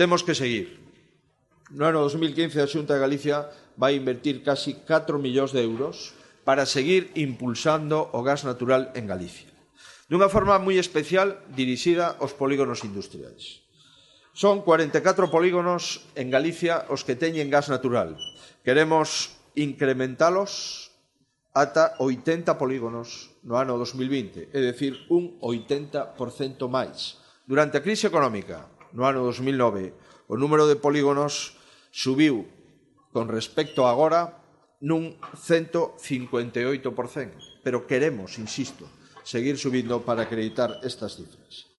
Temos que seguir. No ano 2015 a Xunta de Galicia vai invertir casi 4 millóns de euros para seguir impulsando o gas natural en Galicia, dunha forma moi especial dirixida aos polígonos industriais. Son 44 polígonos en Galicia os que teñen gas natural. Queremos incrementalos ata 80 polígonos no ano 2020, é dicir, un 80% máis. Durante a crise económica, no ano 2009, o número de polígonos subiu con respecto a agora nun 158%, pero queremos, insisto, seguir subindo para acreditar estas cifras.